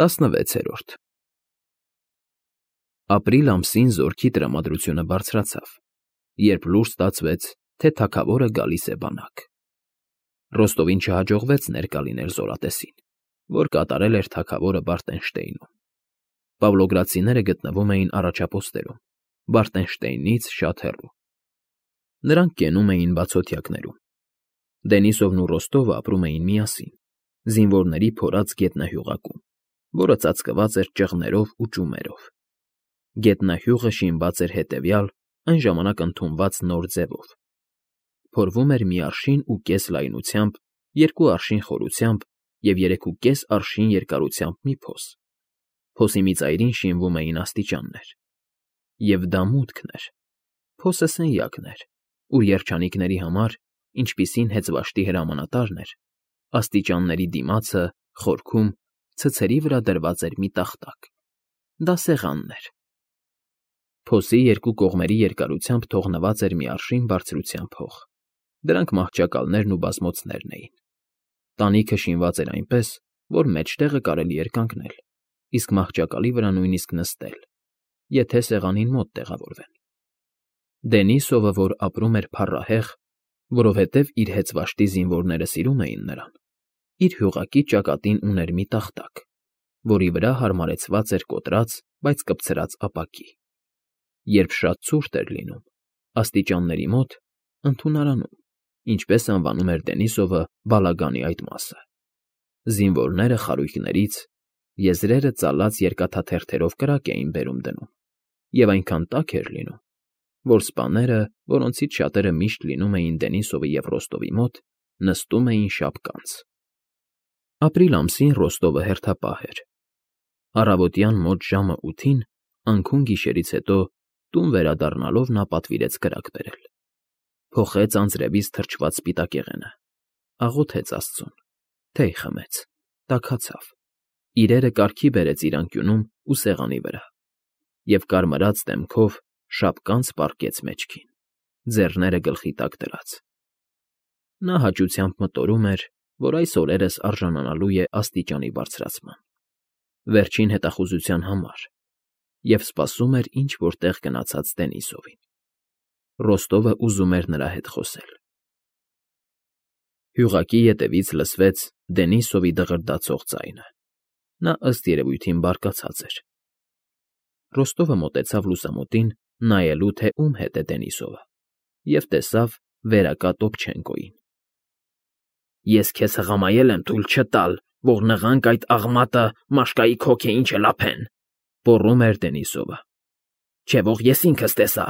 16-րդ Ապրիլ ամսին զորքի տրամադրությունը բարձրացավ, երբ լուր ստացվեց, թե թագավորը գալիս է բանակ։ Ռոստովին չհաջողվեց ներկա լինել զորատեսին, որ կատարել էր թագավորը Բարտենշտեյնում։ Պավլոգրադցիները գտնվում էին առաջապոստերում, Բարտենշտեյնից շատ հեռու։ Նրանք կենում էին բացօթյակներում։ Դենիսովն ու Ռոստովը ապրում էին միասին, զինվորների փորած գետնահյուղակում, որը ծածկված էր ճղներով ու ճումերով։ Գետնահյուղը շինված էր հետևյալ, այն ժամանակ ընդունված նոր ձևով. փորվում էր մի արշին ու կես լայնությամբ, 2 արշին խորությամբ և 3.5 արշին երկարությամբ մի փոս։ Փոսի մի ծայրին շինվում էին աստիճաններ։ Եվ դա մուտքն էր, փոսը սենյակն էր, ուր երջանիկների համար, ինչպիսին հեծվաշտի հրամանատարն էր, աստիճանների դիմացը, խորքում, ցցերի վրա դրված էր մի տախտակ։ Դա սեղանն էր։ Փոսի երկու կողմերի երկարությամբ թողնված էր մի արշին բարձրությամբ հող։ Դրանք մահճակալներն ու բազմոցներն էին։ Տանիքը շինված էր այնպես, որ մեջտեղը կարելի էր կանգնել, իսկ մահճակալի վրա նույնիսկ նստել, եթե սեղանին մոտ տեղավորվեն։ Դենիսովը, որ ապրում էր փառահեղ, որովհետև իր հեծվաշտի զինվորները սիրում էին նրան, իր հյուղակի ճակատին ուներ մի տախտակ, որի վրա հարմարեցված էր կոտրած, բայց կպցրած ապակի։ Երբ շատ ցուրտ էր լինում, աստիճանների մոտ, ընդունարանում, ինչպես անվանում էր Դենիսովը բալագանի այդ մասը, զինվորները խարույկներից, եզրերը ծալած երկաթաթերթերով կրակ էին բերում դնում, և այնքան տաք էր լինում, որ սպաները, որոնցից շատերը միշտ լինում էին Դենիսովի և Ռոստովի մոտ, նստում էին շապկանց։ Ապրիլ ամսին Ռոստովը հերթապահ էր։ Առավոտյան մոտ ժամը 8-ին, անքուն գիշերից հետո, տուն վերադառնալով նա պատվիրեց կրակ բերել։ Փոխեց անձրևից թրջված սպիտակեղենը, աղոթեց աստծուն, թեյ խմեց, տաքացավ, իրերը կարգի բերեց իր անկյունում ու սեղանի վրա և կարմրած դեմքով շապկանց պառկեց մեջքին, ձեռները գլխի տակ դրած։ Նա հաճությամբ մտորում էր, որ այս օրերս արժանանալու է աստիճանի բարձրացման, վերջին հետախուզության համար, և սպասում էր ինչ֊որ տեղ գնացած Դենիսովին։ Ռոստովը ուզում էր նրա հետ խոսել։ Հյուղակի ետևից լսվեց Դենիսովի դղրդացող ձայնը։ Նա ըստ երևույթին բարկացած էր։ Ռոստովը մոտեցավ լուսամուտին, նայելու, թե ում հետ է Դենիսովը, և տեսավ վերակա Տոփչենկոյին։ Ես քեզ հղամայել եմ թույլ չտալ, որ նղանք այդ աղմատը մաշկայի քոքեին չլափեն, գոռում էր Դենիսովը։ Չէ՞ որ ես ինքս տեսա։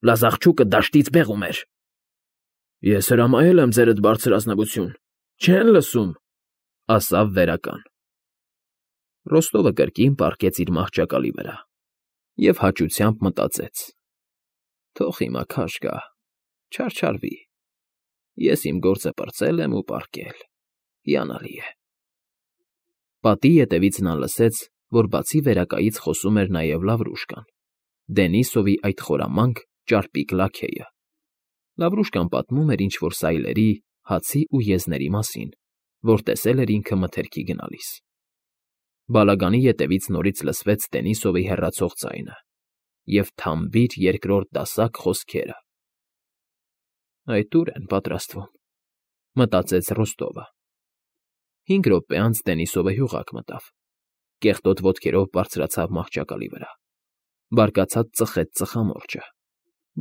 Լազաղչուկը դաշտից բեղում էր։ Ես հրամայել եմ, ձերդ բարձրազնվություն, չեն լսում, ասավ վերական։ Ռոստովը կրկին պառկեց իր մահճակալի վրա և հաճությամբ մտածեց. թող հիմա քաշ գա, չարչարվի, ես իմ գործը պրծել եմ ու պառկել, հիանալի է։ Պատի ետևից նա լսեց, որ բացի վերակայից խոսում էր նաև Լավրուշկան, Դենիսովի այդ խորամանկ, ճարպիկ լաքեյը։ Լավրուշկան պատմում էր ինչ֊որ սայլերի, հացի ու եզների մասին, որ տեսել էր ինքը մթերքի գնալիս։ Բալագանի ետևից նորից լսվեց Դենիսովի հեռացող ձայնը և թամբիր երկրորդ դասակ խոսքերը։ Այդ ուր են պատրաստվում, մտածեց Ռոստովը։ 5 րոպե անց Դենիսովը հյուղակ մտավ, կեղտոտ ոտքերով բարձրացավ մահճակալի վրա, բարկացած ծխեց ծխամորճը,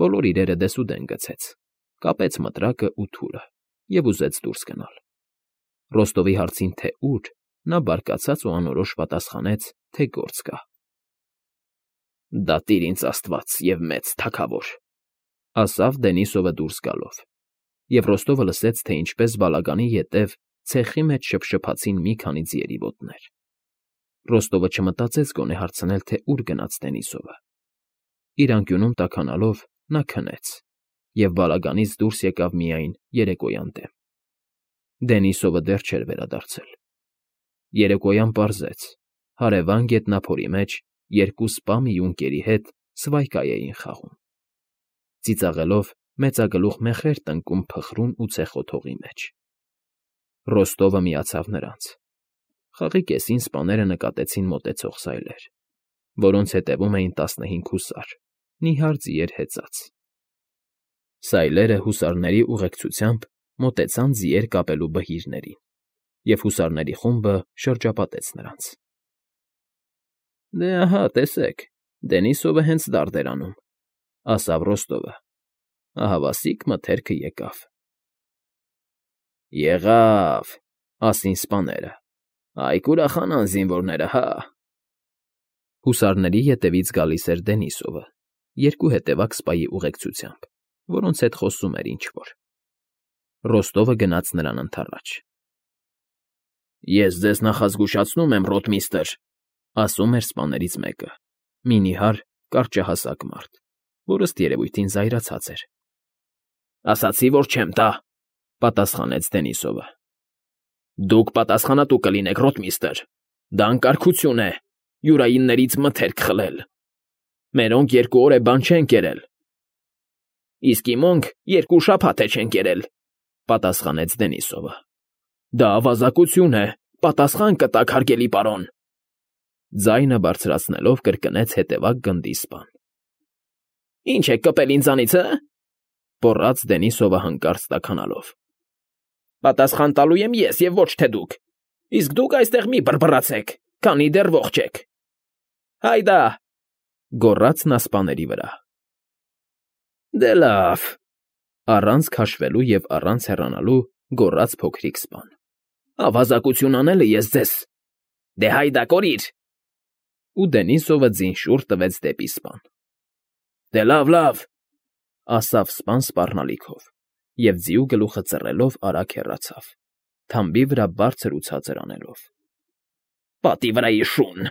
բոլոր իրերը դեսուդեն գցեց, կապեց մտրակը ու թուրը և ուզեց դուրս գնալ։ Ռոստովի հարցին, թե ուր, նա բարկացած ու անորոշ պատասխանեց, թե գործ կա։ Դատիր ինձ Աստված և մեծ թագավոր, ասավ Դենիսովը դուրս գալով, և Ռոստովը լսեց, թե ինչպես բալագանի ետև ցեխի մեջ շփշփացին մի քանի ձիերի ոտներ։ Ռոստովը չմտածեց գոնե հարցնել, թե ուր գնաց Դենիսովը։ Իր անկյունում տաքանալով նա քնեց, և բալագանից դուրս եկավ միայն երեկոյան դեմ։ Դենիսովը դեռ չէր վերադարձել։ Երեկոյան պարզեց, հարևան գետնափորի մեջ 2 սպա մի ունկերի հետ սվայկա էին խաղում։ Ծիծաղելով մեծագլուխ մեխեր տնկում փխրուն ու ցեխոթողի մեջ։ Ռոստովը միացավ նրանց։ Խաղի կեսին սպաները նկատեցին մոտեցող սայլեր, որոնց հետևում էին 15 հուսար, նիհար ձիեր հեծած։ Սայլերը հուսարների ուղեկցությամբ մոտեցան ձիեր կապելու բհիրներին, և հուսարների խումբը շրջապատեց նրանց։ ֊ Դե ահա, տեսեք, Դենիսովը հենց դարդ էր անում,֊ ասավ Ռոստովը։֊ Ահավասիկ մթերքը եկավ։ ֊ Եղավ,֊ ասին սպաները։֊ Այ կուրախանան զինվորները, հա… Հուսարների ետևից գալիս էր Դենիսովը, երկու հետևակ սպայի ուղեկցությամբ, որոնց հետ խոսում էր ինչ֊որ։ Ռոստովը գնաց նրան ընդառաջ։ ֊ Ես ձեզ նախազգուշացնում եմ, ռոտմիստր,֊ ասում էր սպաներից մեկը, մի նիհար, կարճահասակ մարդ, որ ըստ երևույթին զայրացած էր։ ֊ Ասացի, որ չեմ տա,֊ պատասխանեց Դենիսովը։ ֊ Դուք պատասխանատու կլինեք, ռոտմիստր, դա անկարգություն է, յուրայիններից մթերք խլել։ Մերոնք 2 օր է բան չեն կերել։ ֊ Իսկ իմոնք 2 շաբաթ է չեն կերել,֊ պատասխանեց Դենիսովը։ ֊ Դա ավազակություն է, պատասխան կտաք, հարգելի պարոն,֊ ձայնը բարձրացնելով կրկնեց հետևակ գնդի սպան։ ֊ Ինչ եք կպել ինձանից, հը՞,֊ պոռաց Դենիսովը հանկարծ տաքանալով։ ֊ Պատասխան տալու եմ ես և ոչ թե դուք, իսկ դուք այստեղ մի բռբռացեք, քանի դեռ ողջ եք։ ֊ Հայդա,֊ գոռաց նա սպաների վրա։ ֊ Դե լավ,֊ առանց քաշվելու և առանց հեռանալու գոռաց փոքրիկ սպան։ ֊ Ավազակություն անելը ես ձեզ… Դե հայդա, կորիր… Ու Դենիսովը ձին շուռ տվեց դեպի սպան։ ֊ Դե լավ, լավ,֊ ասավ սպան սպառնալիքով և ձիու գլուխը ծռելով արագ հեռացավ, թամբի վրա բարձր ու ցածր անելով։ ֊ Պատի վրայի շուն,֊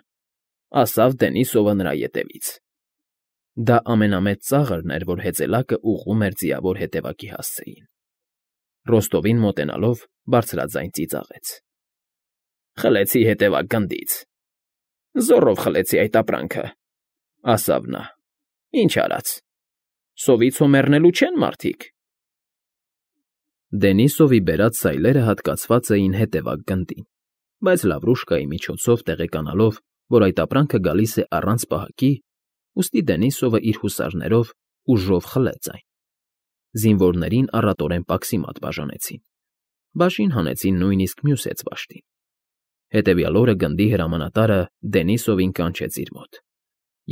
ասավ Դենիսովը նրա ետևից։ Դա ամենամեծ ծաղրն էր, որ հեծելակը ուղղում էր ձիավոր հետևակի հասցեին։ Ռոստովին մոտենալով բարձրաձայն ծիծաղեց։ ֊ Խլեցի հետևակ գնդից… Զոռով խլեցի այդ ապրանքը,֊ ասավ նա։ ֊ Ինչ արած… Սովից հո մեռնելու չեն մարդիկ… Դենիսովի բերած սայլերը հատկացված էին հետևակ գնդին, բայց Լավրուշկայի միջոցով տեղեկանալով, որ այդ ապրանքը գալիս է առանց պահակի, ուստի Դենիսովը իր հուսարներով ուժով խլեց այն։ Զինվորներին առատորեն պաքսիմատ բաժանեցին, բաժին հանեցին նույնիսկ մյուս էծվաշտին։ Հետևյալ օրը գնդի հրամանատարը Դենիսովին կանչեց իր մոտ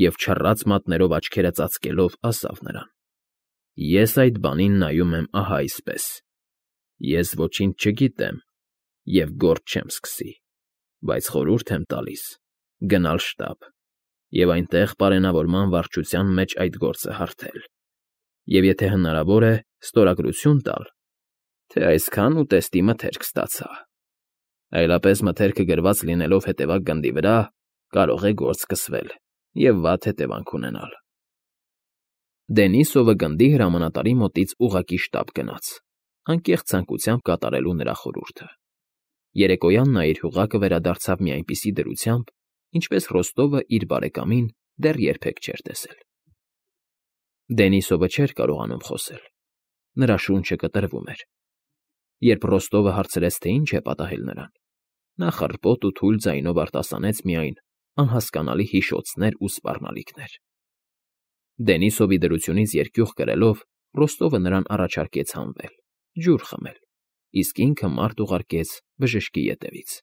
և չռած մատներով աչքերը ծածկելով ասավ նրան. Ես այդ բանին նայում եմ ահա այսպես. Ես ոչինչ չգիտեմ և գործ չեմ սկսի, բայց խորհուրդ եմ տալիս գնալ շտաբ և այնտեղ պարենավորման վարչության մեջ այդ գործը հարթել, և եթե հնարավոր է, ստորագրություն տալ, թե այսքան ուտեստի մթերք ստացա, այլապես մթերքը գրված լինելով հետևակ գնդի վրա, կարող է գործ սկսվել և վատ հետևանք ունենալ։ Դենիսովը գնդի հրամանատարի մոտից ուղղակի շտաբ գնաց, անկեղծ ցանկությամբ կատարելու նրա խորհուրդը։ Երեկոյան նա իր հյուղակը վերադարձավ մի այնպիսի դրությամբ, ինչպես Ռոստովը իր բարեկամին դեռ երբեք չէր տեսել։ Դենիսովը չէր կարողանում խոսել, նրա շունչը կտրվում էր։ Երբ Ռոստովը հարցրեց, թե ինչ է պատահել նրան, նա խռպոտ ու թույլ ձայնով արտասանեց միայն անհասկանալի հիշոցներ ու սպառնալիքներ։ Դենիսովի դրությունից երկյուղ կրելով Ռոստովը նրան առաջարկեց հանվել, ջուր խմել, իսկ ինքը մարդ ուղարկեց բժշկի ետևից։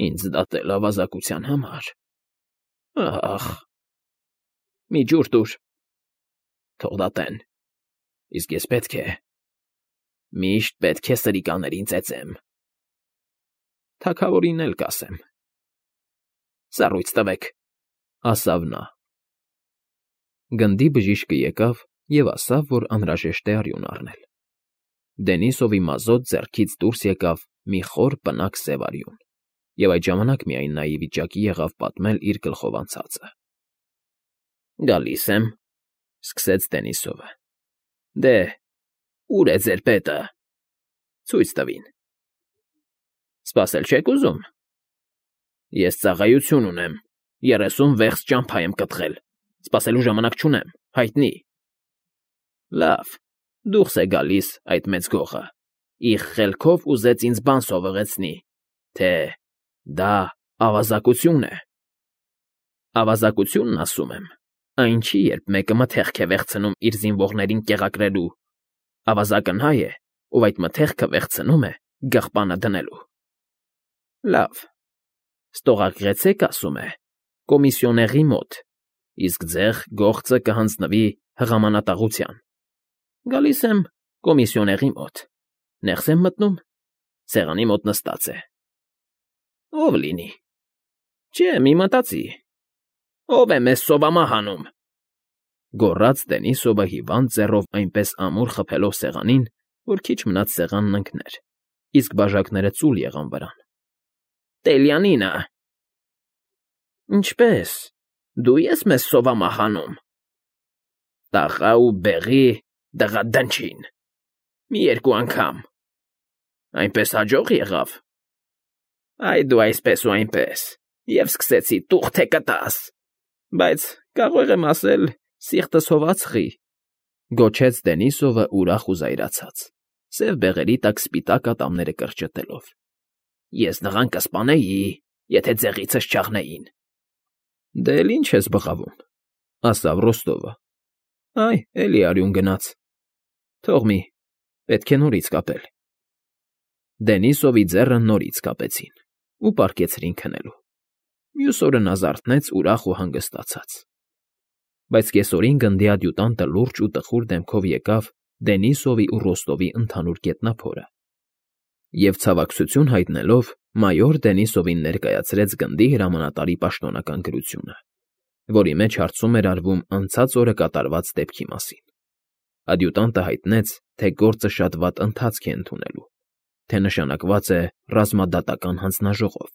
Ինձ դատել ավազակության համար… Ախ… Մի ջուր տուր… Թող դատեն… Իսկ ես պետք է… Միշտ պետք է սրիկաներին ծեծեմ… Թագավորին էլ կասեմ… Սառույց տվեք…֊ ասավ նա։ Գնդի բժիշկը եկավ և ասավ, որ անհրաժեշտ է արյուն առնել։ Դենիսովի մազոտ ձեռքից դուրս եկավ մի խոր պնակ սև արյուն, և այդ ժամանակ միայն նա ի վիճակի եղավ պատմել իր գլխով անցածը։ ֊ Գալիս եմ,֊ սկսեց Դենիսովը։ ֊ Դե, ո՞ւր է ձեր պետը… Ցույց տվին… Սպասել չեք ուզում… Ես ծառայություն ունեմ, 30 վեղս ճամփա եմ կտղել, սպասելու ժամանակ չունեմ, հայտնի… Լավ, դուխս է գալիս այդ մեծ գողը, իր խելքով ուզեց ինձ բան սովորեցնի, թե դա ավազակություն է։ Ավազակությունն, ասում եմ, այն չի, երբ մեկը մթերք է վերցնում իր զինվորներին կեղակրելու, ավազակն հայ է, ով այդ մթերքը վերցնում է գղպանը դնելու։ Լավ, ստողագրեցեք, ասում է, կոմիսիոների մոտ, իսկ ձեր գործը կհանձնվի հղամանատաղության։ Գալիս եմ կոմիսիոների մոտ, ներս եմ մտնում, սեղանի մոտ նստած է։ Ով լինի։ Չէ, մի մտածի։ Ով է մեզ սովամահանում։ Գոռաց Դենիսովը հիվանդ ձեռով այնպես ամուր խփելով սեղանին, որ քիչ մնաց սեղանն ընկներ, իսկ բաժակները ծուլ եղան վրան։ Տելյանինը։ Ինչպե՞ս։ Դու ես մեզ սովամահանում։ Տաղա ու բեղի դղադնչին։ Մի երկու անգամ։ Այնպես հաջող եղավ։ Այ դու այսպես ու այնպես, և սկսեցի տուղ թե կտաս, բայց կարող եմ ասել, սիրտս հովացղի, գոչեց Դենիսովը ուրախ ու զայրացած, սև բեղերի տակ սպիտակ ատամները կրճտելով։ Ես նրան կսպանեի, եթե ձեղիցս չաղնեին։ Դե էլ ինչ ես բղավում, ասավ Ռոստովը։ Այ, էլի արյուն գնաց։ Թող մի, պետք է նորից կապել։ Դենիսովի ձեռը նորից կապեցին ու պառկեցրին քնելու։ Մյուս օրը նա զարթնեց ուրախ ու հանգստացած։ Բայց կեսօրին գնդի ադյուտանտը լուրջ ու տխուր դեմքով եկավ Դենիսովի ու Ռոստովի ընդհանուր գետնափորը և ցավակցություն հայտնելով մայոր Դենիսովին ներկայացրեց գնդի հրամանատարի պաշտոնական գրությունը, որի մեջ հարցում էր արվում անցած օրը կատարված դեպքի մասին։ Ադյուտանտը հայտնեց, թե գործը շատ վատ ընթացք է ընդունելու, թե նշանակված է ռազմադատական հանձնաժողով,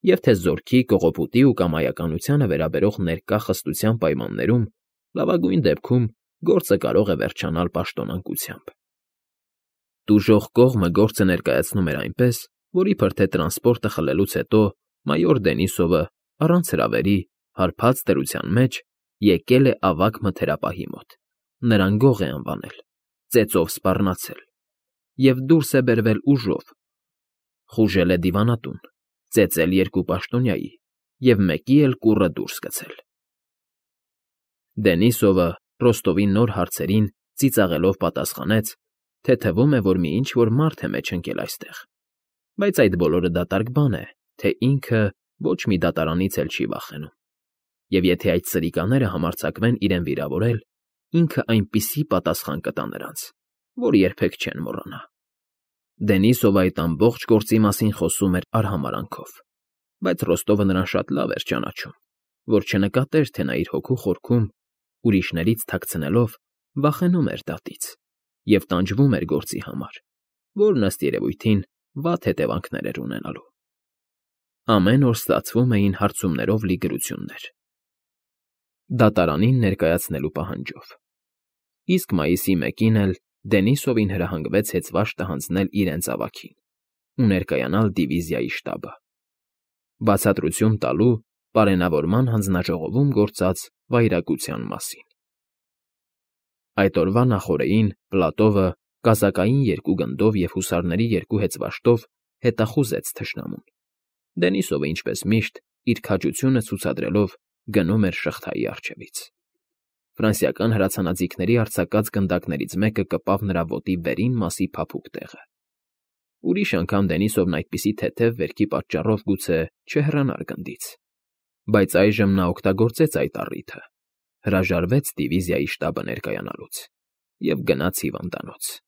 և թե զորքի, կողոպուտի ու կամայականությանը վերաբերող ներկա խստության պայմաններում լավագույն դեպքում գործը կարող է վերջանալ պաշտոնանկությամբ։ Տուժող կողմը գործը ներկայացնում էր այնպես, որ իբր թե տրանսպորտը խլելուց հետո մայոր Դենիսովը առանց հրավերի, հարբած դրության մեջ եկել է ավագ մթերապահի մոտ, նրան գող է անվանել, ծեծով սպառնացել և դուրս է բերվել ուժով, խուժել է դիվանատուն, ծեծել երկու պաշտոնյայի և մեկի էլ կուռը դուրս գցել։ Դենիսովը Ռոստովի նոր հարցերին ծիծաղելով պատասխանեց, թե թվում է, որ մի ինչ֊որ մարդ է մեջ ընկել այստեղ, բայց այդ բոլորը դատարկ բան է, թե ինքը ոչ մի դատարանից էլ չի վախենում, և եթե այդ սրիկաները համարձակվեն իրեն վիրավորել, ինքը այնպիսի պատասխան կտա նրանց, որ երբեք չեն մոռանա։ Դենիսովը այդ ամբողջ գործի մասին խոսում էր արհամարանքով, բայց Ռոստովը նրան շատ լավ էր ճանաչում, որ չնկատեր, թե նա իր հոգու խորքում, ուրիշներից թաքցնելով, վախենում էր դատից և տանջվում էր գործի համար, որն ըստ երևույթին վատ հետևանքներ էր ունենալու։ Ամեն օր ստացվում էին հարցումներով լի գրություններ դատարանին ներկայացնելու պահանջով, իսկ մայիսի 1-ին էլ Դենիսովին հրահանգվեց հեծվաշտը հանձնել իրենց ավագին ու ներկայանալ դիվիզիայի շտաբը, բացատրություն տալու պարենավորման հանձնաժողովում գործած վայրագության մասին։ Այդ օրվա նախօրեին Պլատովը կազակային 2 գնդով և հուսարների 2 հեծվաշտով հետախուզեց թշնամուն։ Դենիսովը, ինչպես միշտ, իր քաջությունը ցուցադրելով գնում էր շղթայի առջևից։ Ֆրանսիական հրացանաձիգների արձակած գնդակներից մեկը կպավ նրա ոտի վերին մասի փափուկ տեղը։ Ուրիշ անգամ Դենիսովն այդպիսի թեթև վերքի պատճառով գուցե չհեռանար գնդից, բայց այժմ նա օգտագործեց այդ առիթը, հրաժարվեց դիվիզիայի շտաբը ներկայանալուց և գնաց հիվանդանոց։